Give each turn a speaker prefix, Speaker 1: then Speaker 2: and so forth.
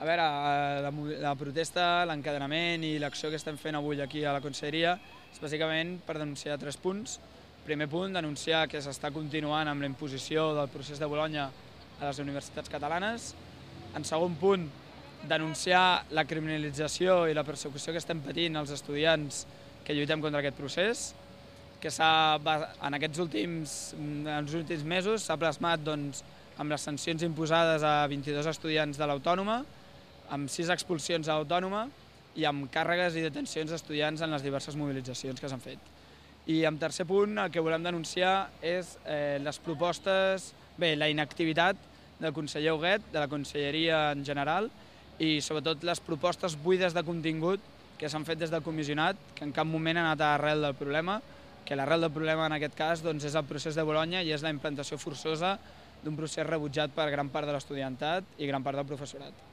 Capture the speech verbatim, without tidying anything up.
Speaker 1: A veure, la, la protesta, l'encadenament i l'acció que estem fent avui aquí a la Conselleria és bàsicament per denunciar tres punts. Primer punt, denunciar que s'està continuant amb la imposició del procés de Bolonya a les universitats catalanes. En segon punt, denunciar la criminalització i la persecució que estem patint els estudiants que lluitem contra aquest procés, que en aquests últims, en els últims mesos s'ha plasmat doncs, amb les sancions imposades a vint-i-dos estudiants de l'Autònoma, amb sis expulsions a l'Autònoma i amb càrregues i detencions d'estudiants en les diverses mobilitzacions que s'han fet. I en tercer punt, el que volem denunciar és eh, les propostes, bé, la inactivitat del conseller Huguet, de la Conselleria en general, i sobretot les propostes buides de contingut que s'han fet des del comissionat, que en cap moment han anat a l'arrel del problema, que l'arrel del problema en aquest cas doncs, és el procés de Bolonya i és la implantació forçosa d'un procés rebutjat per gran part de l'estudiantat i gran part del professorat.